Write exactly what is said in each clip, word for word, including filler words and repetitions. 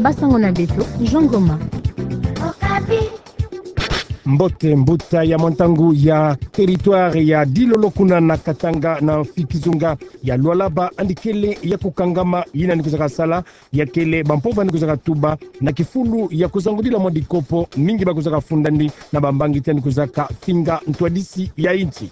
Basango na beto, Jean Ngoma. Mbote, mbuta ya mwa ntangu ya territoire ya Dilolo kuna na Katanga na kizunga ya Lualaba, yandi kele ya kukangama, yina ni kwizaka sala, ya kele bampova ni kwizaka tuba na kifulu ya kuzangudila mwa dikopo, mingi ba kwizaka funda ndi na bambangi ti yandi kwizaka finga ntwadisi ya insi.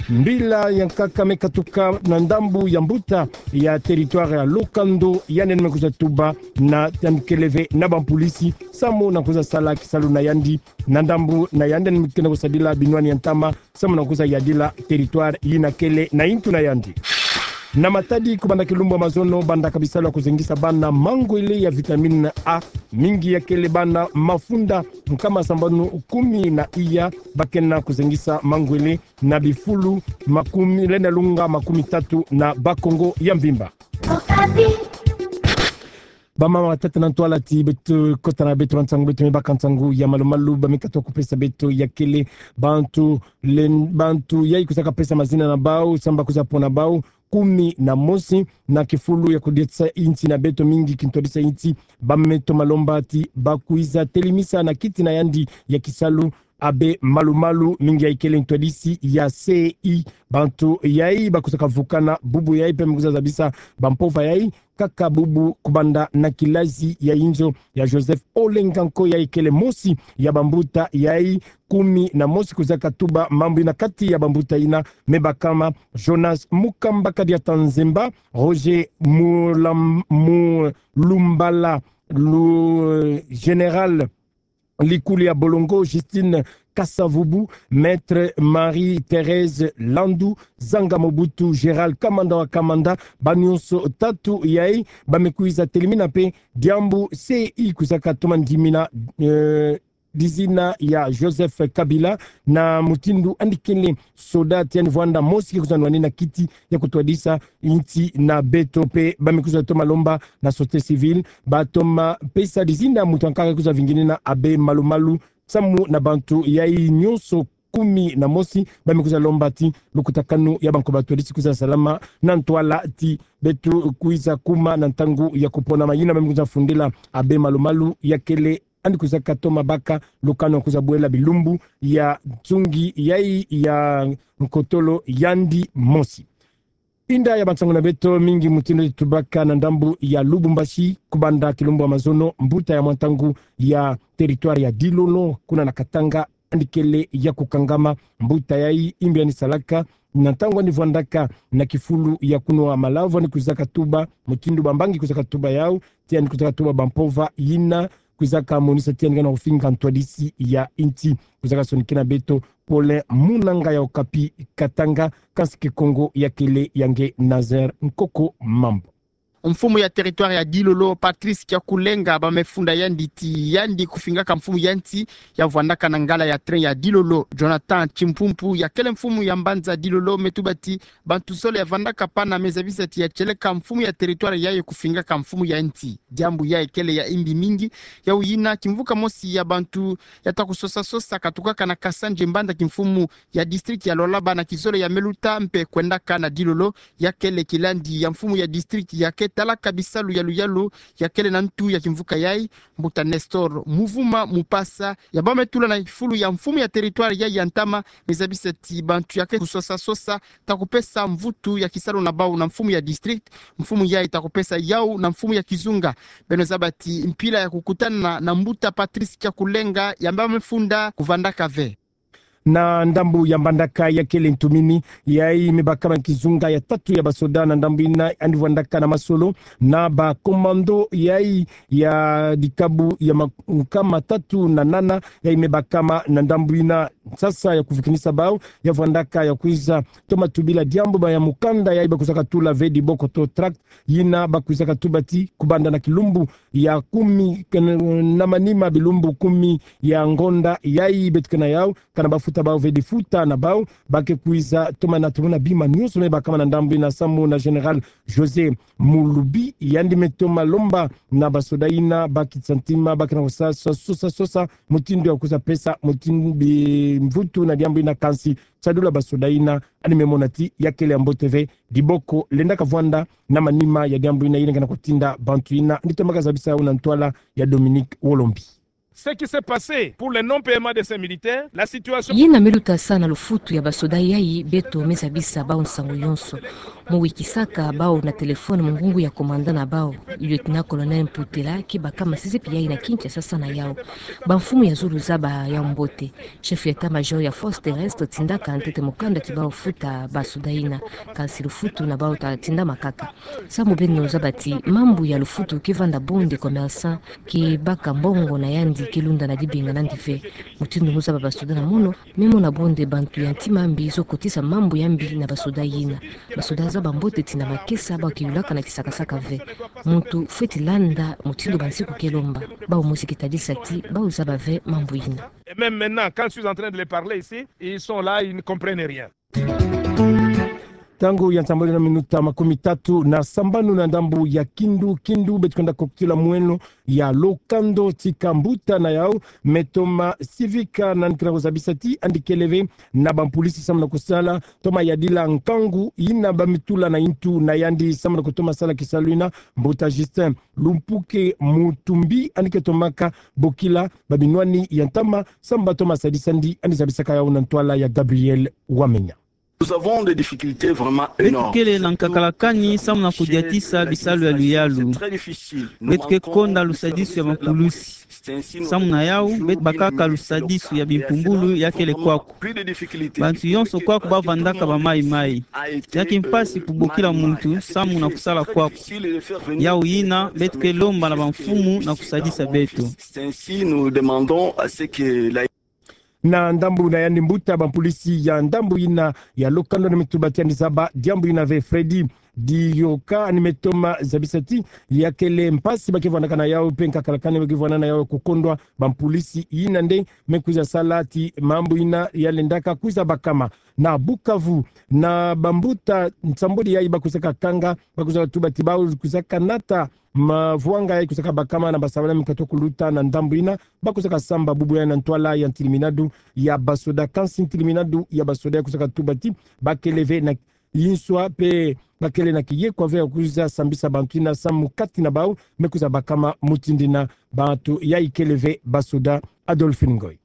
Mbila ya nkaka me katuka na ndambu ya mbuta ya territoire ya Lokando, yandi ni me kwiza tuba na yandi kele ve na bampulisi, samu na kwiza sala kisalu na yandi, na ndambu na yandi ni me kena kusadila binwani ya ntama, samu na kwiza yadila territoire yina kele na intu na yandi. Na matadi, kubanda kilumbu ya mazono, bandaka bisalu ya kuzengisa bana mangwele ya vitamine A, mingi ya kele bana mafunda nkama sambanu kumi na iya, ba kena kuzengisa mangwele na bifulu makumi, lenda lunga makumi tatu na Bas-Congo ya mvimba. Bamama, batata, na ntwala ti beto kota na beto ba nsangu, beto me baka nsangu ya malu-malu, ba me katuka kupesa beto ya kele bantu, len-, bantu yayi kwizaka pesa mazina na bau, samu ba kwiza pona bau kumi na mosi na kifulu ya kutwadisa insi na beto, mingi kintwadisa insi, ba me toma lomba ti ba kwiza telimisa na kiti na yandi ya kisalu abbé Malu-Malu, mingi yayi kele ntwadisi ya C I. Bantu yayi ba kwizaka vukana bubu yayi, mpe me kwiza zabisa bampova yayi, kaka bubu kubanda na kilazi ya inzo ya Joseph Olenganko, yayi kele mosi ya bambuta yayi kumi na mosi kwizaka tuba mambu yina. Kati ya bambuta yina me bakama Jonas Mukamba Kadiata Nzemba, Roger Mulam-, Mulumbala, Lu-, Général Likuli ya Bolongo, Justine Kasavubu, Maître Marie-Thérèse Landu, Zanga Mobutu, Gérald Kamanda wa Kamanda, ba nyonso tatu yayi ba me kwiza telimina mpe diambu C I kwizaka toma ndimina, eh, dizina ya Joseph Kabila, na mutindu yandi kele soda ti yandi vwanda mosi ke kwiza nwanina kiti ya kutwadisa insi na beto. Mpe ba me kwiza toma lomba na société civile ba toma pesa dizina muntu ya nkaka kwiza vinginina abbé Malu-Malu, samu na bantu yayi nyonso kumi na mosi ba me kwiza lomba ti lukutakanu ya bankoba twadisi kwiza salama, na ntwala ti beto kwiza kuma na ntangu ya kuponama. Yina ba me kwiza fundila abbé Malu-Malu, ya kele yandi kwizaka toma baka lukanu ya kwiza bwela bilumbu ya nsungi yayi ya nkotolo yandi mosi. Inda ya bansangu na beto, mingi mutindu ti tubaka na ndambu ya Lubumbashi, kubanda kilumbu ya mazono, mbuta ya mwa ntangu ya territoire ya Dilolo kuna na Katanga, yandi kele ya kukangama. Mbuta yayi, yimbi yandi salaka, na ntangu yandi vwandaka na kifulu ya kunwa malavu, yandi kwizaka tuba mutindu bambangi kwizaka tuba yau, ti yandi kwizaka tuba bampova yina kwizaka monisa ti yandi kena kufinga ntwadisi ya insi. Kwizaka sonikina beto Paulin Munanga ya Okapi Katanga, kansi Kikongo ya kele ya nge Nazaire Nkoko Mambu. Mfumu ya territoire ya Dilolo, Patrice Kiakulenga, ba me funda yandi ti yandi kufingaka mfumu ya insi ya vwandaka na ngala ya train ya Dilolo, Jonathan Chimpumpu, ya kele mfumu ya mbanza Dilolo, me tuba ti bantu zole ya vwandaka pana me zabisa ti ya tieleka mfumu ya territoire yayi kufingaka mfumu ya insi. Diambu yayi kele ya yimbi mingi. Yau yina, kimvuka mosi ya bantu ya ta kusosa-sosa katukaka na Kasanje, mbanza kimfumu ya district ya Lualaba, na kizole ya me luta mpe kwendaka na Dilolo, ya kele kilandi ya mfumu ya district ya ke talaka bisalu ya luyalu ya kele na ntu ya kimvuka yayi, mbuta Nestor Muvuma Mupasa, ya ba me tula na kifulu ya mfumu ya territoire yayi ya ntama, me zabisa ti bantu ya ke kusosa-sosa ta kupesa mvutu ya kisalu na bau na mfumu ya district, mfumu yayi ta kupesa yau na mfumu ya kizunga. Beno zaba ti mpila ya kukutana na mbuta Patrice Kiakulenga ya ba me funda kuvwandaka ve. Na ndambu ya Mbandaka, ya kele ntumini, yayi me bakama kizunga ya tatu ya basoda na ndambu yina, yandi vwandaka na masolo na ba commando yayi ya dikabu ya ma-, nkama tatu na nana, yayi me bakama na ndambu yina. Sasa ya kuvukinisa bau, ya vwandaka ya kwiza toma tubila diambu ba ya mukanda yayi ba kwizaka tula ve diboko to tract, yina ba kwizaka tuba ti kubanda na kilumbu ya kumi ken-, na manima, bilumbu kumi ya ngonda yayi beto kena yau, kana ba futa bafuta bau ve difuta na bau, ba ke kwiza toma na tomona bima nyonso me bakama na ndambu ina, samu na Général José Mulubi, yandi me toma lomba na basoda ina, ba kisa ntima, ba kena kusa, sa, sosa, sosa mutindu ya kwiza pesa mutindu bi mvutu na diambu ina, kansi tiadula basoda ina, yandi me mona ti ya kele ya mbote ve, diboko lenda kavwanda na manima ya diambu ina, yina ngana kutinda bantu ina, yandi tomaka zabisa yau na ntwala ya Dominique Wolombi. Ce qui s'est passé pour le non-paiement de ces militaires, la situation. Yina me luta sa na lufutu ya basoda yayi, beto me zabisa bau nsangu yonso. Mu wikisaka bau na téléphone mu ngungu ya commandant na bau, lieutenant-colonel Mputela, ke bakama sizepi yayi na Kinshasa sa na yau. Bamfumu ya zulu zaba yau mbote. Chef ya état-major ya force terrestre tindaka ntete mukanda ti bau futa basoda ina, kansi lufutu na bau ta tindama kaka. Samu beno zaba ti mambu ya lufutu ke vanda bun de commerçant ke baka mbongo na yandi ke lunda na dibinga na yandi ve. Mutindu mu zaba basoda na mono, me mona bun de bantu ya ntima mbi zo kotisa mambu ya mbi na basoda yina. Basoda zaba mbote ti na makesa bau ke yulaka na kisakasaka ve. Muntu fweti landa mutindu bansiku ke lomba. Bau mosi ke tadisa ti bau zaba ve mambu yina. Et même maintenant, quand je suis en train de les parler ici, ils sont là, ils ne comprennent rien. Ntangu ya nsambwadi na minuta makumi tatu na sambanu na ndambu ya Kindu, Kindu, beto kwenda kokitila mweno ya Lokando, tika mbuta na yau me toma sivika na yandi kena kuzabisa ti yandi kele ve na bampulisi samu na kusala toma yadila nkangu yina ba me tula na ntu na yandi samu na kutoma sala kisalu yina. Mbuta Justin Lumpuke Mutumbi, yandi ke tomaka bokila babinwani ya ntama samu ba toma sadisa yandi, yandi zabisaka yau na ntwala ya Gabriel Wamenya. Nous avons des difficultés vraiment énormes. Beto kele na nkakalakani samu na kudiatisa bisalu ya luyalu. Beto ke konda lusadisu ya bampulisi. Samu na yau, beto bakaka lusadisu ya bimpumbulu ya kele kwaku. Bantu yonso kwaku ba vandaka bamaimai. Ya kimpasi kubokila muntu samu na kusala kwaku. Yau yina, beto ke lomba na bamfumu na kusadisa beto. Ainsi, nous demandons à ce que la Na ndambu na yandi mbuta, bampulisi ya ndambu yina ya Lokando yandi me tuba ti yandi zaba diambu yina ve. Freddy Diyoka yandi me toma zabisa ti ya kele mpasi ba ke vwandaka na yau mpe nkakalakani ba ke vwanda na yau kukondwa bampulisi yina nde me kwiza sala ti mambu yina ya lendaka kwiza bakama. Na Bukavu, na bambuta nsambwadi yayi ba kwizaka kanga, ba kwizaka tuba ti bau kwizaka nata mavwanga yayi kwizaka bakama na basabala me katuka kuluta na ndambu yina, ba kwizaka samba bubu yayi na ntwala ya ntiliminadu ya basoda. Kansi ntiliminadu ya basoda ya kwizaka tuba ti ba kele ve na inswa mpe ba kele na kiyekwa ve ya kwiza sambisa bantu yina samu kati na bau me kwiza bakama mutindu yina. Bantu yayi kele ve basoda. Adolphine Ngoy.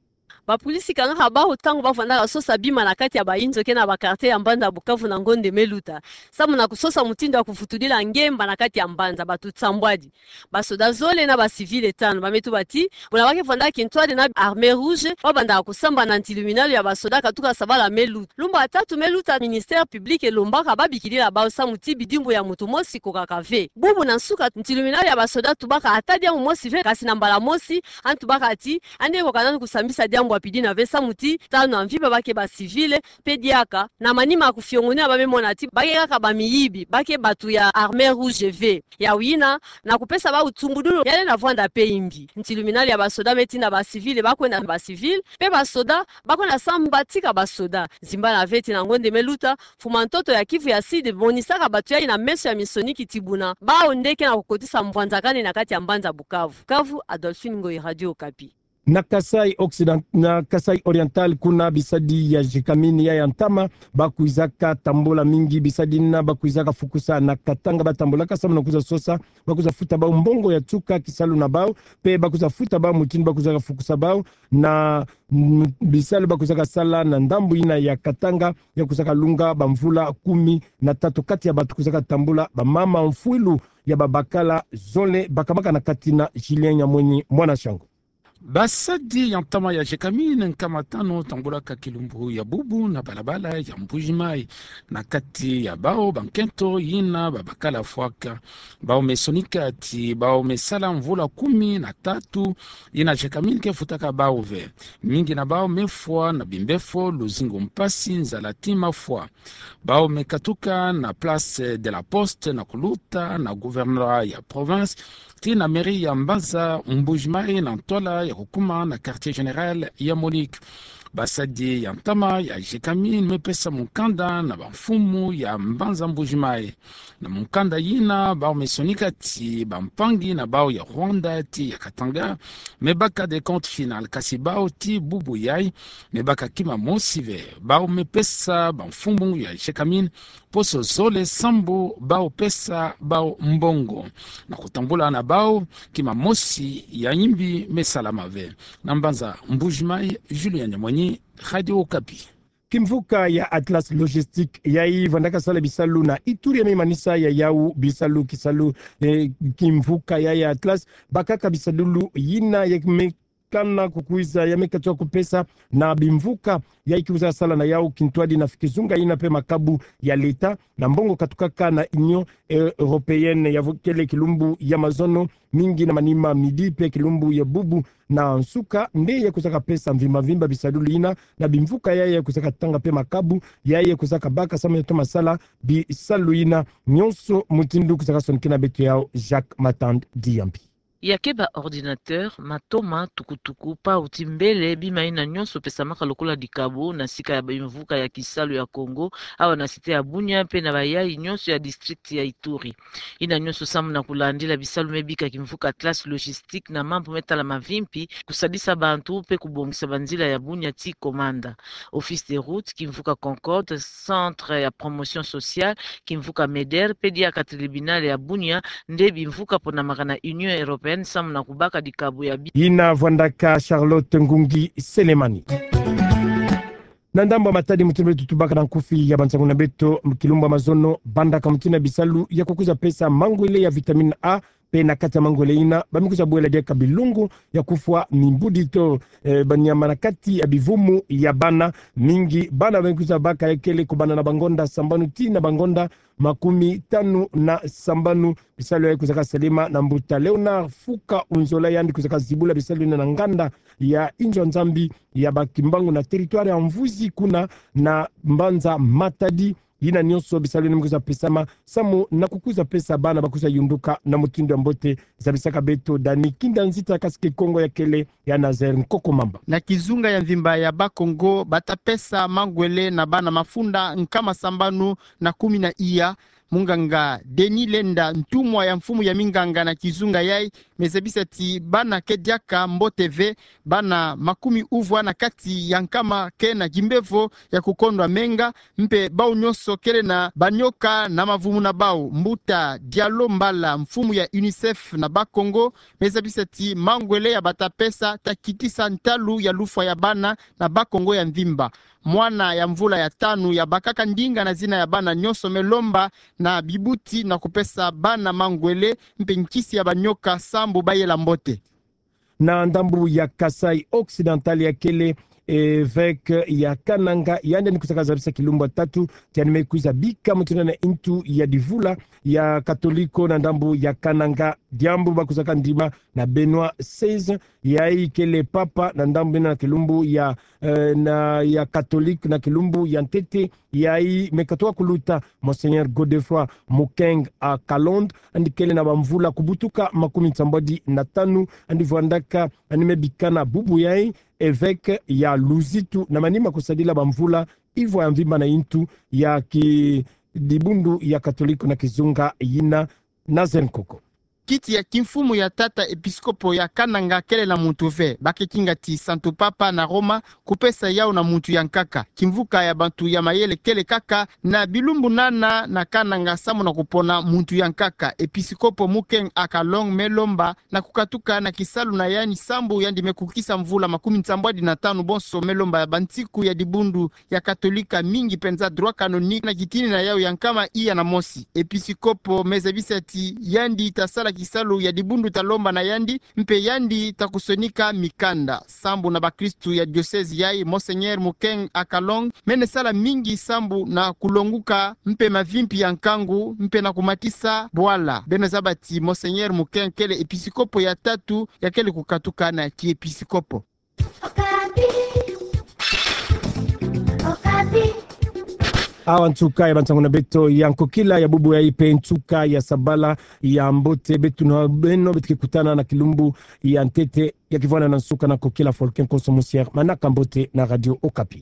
Bapulisi kangaka bau ntangu ba vandaka sosa bima na kati ya bayinzo ke na ba quartier ya mbanza Bukavu na ngonde me luta, samu na kusosa mutindu ya kuvutudila ngemba na kati ya mbanza. Bantu nsambwadi, basoda zole na ba civil tanu, ba me tuba ti buna ba ke vandaka kintwadi na Armée Rouge, ba bandaka kusamba na ntiluminalu ya basoda katuka sabala me luta. Lumbu ya tatu me luta, ministère public elombaka ba bikidila bau samu ti bidimbu ya muntu mosi ekokaka ve. Bubu na nsuka, ntiluminalu ya basoda tubaka ata diambu mosi ve, kansi na mbala mosi yandi tubaka ti yandi ekoka nanu kusambisa diambu ya pidi yina ve samu ti tanu ya mvimba ba ke ba civil, mpe diaka na manima ya kufiongonela ba me mona ti ba ke kaka bamiyibi, ba ke bantu ya Armée Rouge ve. Yau yina, na kupesa bau nsungudulu, ya lenda vwanda mpe imbi. Ntiluminalu ya basoda me tinda ba civil ba kwenda na ba civil, mpe basoda ba kwenda samba tika basoda. Zimbana ve ti na ngonde me luta, mfuma ntoto ya Kivu ya Sud emonisaka bantu yayi na meso ya minsoni ti buna bau nde ke na kukotisa mvwanzakani na kati ya mbanza Bukavu. Bukavu, Adolphine Ngoy, Radio Okapi. Na Kasaï Occident-, na Kasaï Oriental kuna, bisadi ya Gécamines ya ya ntama ba kwizaka tambula mingi. Bisadi yina ba kwizaka fukusa na Katanga, ba tambulaka samu na kwiza sosa, ba kwiza futa bau mbongo ya nsuka kisalu na bau, mpe ba kwiza futa bau mutindu ba kwizaka fukusa bau na, mm, bisalu ba kwizaka sala na ndambu yina ya Katanga, ya kwizaka lunga bamvula kumi na tatu. Kati ya bantu kwizaka tambula, bamama mfwilu ya babakala zole bakamaka na kati na Julien Nyamwenyi, mwana Shango. Basadi ya ntama ya Gécamines nkama tanu tambulaka kilumbu ya bubu na balabala ya Mbuji-Mayi. Na kati ya bau bankento yina babakala fwaka. Bau me sonika ti bau me sala mvula kumi na tatu yina Gécamines ke futaka bau ve. Mingi na bau me fwa na bimbefo, luzingu mpasi, nzala ti mafwa. Bau me katuka na Place de la Poste na kuluta na gouvernorat ya province, tii na mairie ya mbanza Mbuji-Mayi na ntwala ya kukuma na quartier général ya Monique. Basadi ya ntama ya Gécamines me pesa mukanda na bamfumu ya mbanza Mbuji-Mayi. Na mukanda yina, bau me sonika ti bampangi na bau ya Rwanda ti ya Katanga me baka décompte final, kasi bau ti bubu yayi me baka kima mosi ve. Bau me pesa bamfumu ya Gécamines poso zole sambu bau pesa bau mbongo na kutambula na bau kima mosi ya yimbi me salama ve. Na mbanza Mbuji-Mayi, Julien Nyamweny, Radio Okapi. Kimvuka ya Atlas Logistique yayi vandaka sala bisalu na Ituri ya me manisa ya yau bisalu kisalu, eh, kimvuka yayi ya Atlas bakaka bisalulu yina ya me kana kukwiza ya me katuka kupesa na bimvuka yayi kikwiza sala na yau kintwadi na kizunga yina pe makabu ya leta na mbongo katukaka na Union, eh, Européenne ya vo-, kele kilumbu ya mazono mingi na manima midi pe kilumbu ya bubu na nsuka, nde ya kwizaka pesa mvimba mvimba bisalulu yina na bimvuka yayi ya kwizaka tanga pe makabu yayi ya kwizaka baka samu ya toma sala bisalu yina. Nyonso mutindu kwizaka sonikena beto yau Jacques Matand Diambi. Ya ke ba ordinateur, matoma, tukutuku, pau ti mbele, bima yina nyonso pesamaka lokola dikabu na sika ya bimvuka ya kisalu ya Congo, awa na cité ya Bunia pe na bayayi nyonso ya district ya Ituri. Yina nyonso samu na kulandila bisalu me bika kimvuka Atlas Logistique na mambu me tala mavimpi, kusadisa bantu pe kubongisa banzila ya Bunia ti Komanda. Office des routes, kimvuka Concorde, centre ya promotion sociale, kimvuka MEDER, pe diaka tribunal ya Bunia, nde bimvuka ponamaka na Union Européenne samu na kubaka dikabu ya bi- Yina vwandaka Charlotte Ngungi Selemani. Na ndambu ya matadi mutindu beto tubaka na nkufi ya bansangu na beto, kilumbu ya mazono bandaka mutindu ya bisalu ya kukwiza pesa mangwele ya vitamine A, pe na kati ya mangwele yina ba me kwiza bwela diaka bilongo ya kufwa mimbudito, eh, banyama na kati ya bivumu ya bana. Mingi bana ba me kwiza baka ya kele kubanda na bangonda sambanu tii na bangonda makumi tanu na sambanu. Bisalu yayi kwizaka salama na mbuta Léonard Fuka Unzola, yandi kwizaka zibula bisalu yina na nganda ya inzo ya Nzambi ya ba Kimbangu na territoire ya Mvuzi kuna na mbanza Matadi. Yina nyonso bisalu yina me kwiza pesama samu na kukwiza pesa bana ba kwiza yunduka na mutindu ya mbote. Zabisaka beto Dani Kinda Nzita, kasi Kikongo ya kele ya Nazaire Nkoko Mamba. Na kizunga ya mvimba ya Bakongo, bata pesa mangwele na bana mafunda nkama sambanu na kumi na iya. Munganga Denis Lenda, ntumwa ya mfumu ya minganga na kizunga yayi, me zabisa ti bana ke diaka mbote ve, bana makumi uvwa na kati ya nkama ke na kimbevo ya kukondwa menga, mpe bau nyonso kele na banyoka na mavumu na bau. Mbuta Diallo Mbala, mfumu ya UNICEF na Bakongo, me zabisa ti mangwele ya bata pesa ta kitisa ntalu ya lufwa ya bana na Bakongo ya mvimba. Mwana ya mvula ya tanu ya bakaka ndinga na zina ya bana nyonso me lomba na bibuti na kupesa bana mangwele mpe nkisi ya banyoka sambu bayela mbote. Na ndambu ya Kasaï Occidental, ya kele évêque ya Kananga, yandi yandi kwizaka zabisa kilumbu ya tatu ti yandi me kwiza bika mutindu na intu ya divula ya Katoliko na ndambu ya Kananga, diambu ba kwizaka ndima na Benoît seize, yayi kele papa na ndambu yina na kilumbu ya, eh, na ya Katoliko na kilumbu ya ntete. Yayi me katuka kuluta Monseigneur Godefroid Mukeng Akalonde, yandi kele na bamvula kubutuka makumi nsambwadi na tanu, yandi vwandaka, yandi me bikana bubu yayi évêque ya Luzitu na manima kusadila bamvula ivwa ya mvimba na intu ya ki dibundu ya Katoliko na kizunga yina. Nazaire Nkoko. Kiti ya kimfumu ya tata episkopo ya Kananga kele na muntu ve. Ba ke kinga ti Santu Papa na Roma kupesa yau na muntu ya nkaka. Kimvuka ya bantu ya mayele kele kaka na bilumbu nana na Kananga samu na kupona muntu ya nkaka. Episkopo Mukeng Akalonde me lomba na kukatuka na kisalu na yandi sambu yandi me kukisa mvula makumi nsambwadi na tanu bonso. Me lomba ya bansiku ya dibundu ya Katolika mingi penza droit canonique na kitini na yau ya nkama iya na mosi. Episkopo me zabisa ti yandi ta sala kisalu ya dibundu ta lomba na yandi, mpe yandi ta kusonika mikanda. Sambu na bakristu ya diocèse yayi, Monseigneur Mukeng Akalonde mene sala mingi sambu na kulonguka mpe mavimpi ya nkangu mpe na kumatisa bwala. Beno zaba ti Monseigneur Mukeng kele episkopo ya tatu ya kele kukatuka na kiepiskopo. Awa nsuka ya bansango na beto ya nkokila ya bubu ya ipe nsuka ya sabala ya mbote beto na beno beto ke kutana na kilumbu ya ntete ya kivwanda na nsuka na nkokila Folklore Konso Musière, manaka mbote na Radio Okapi.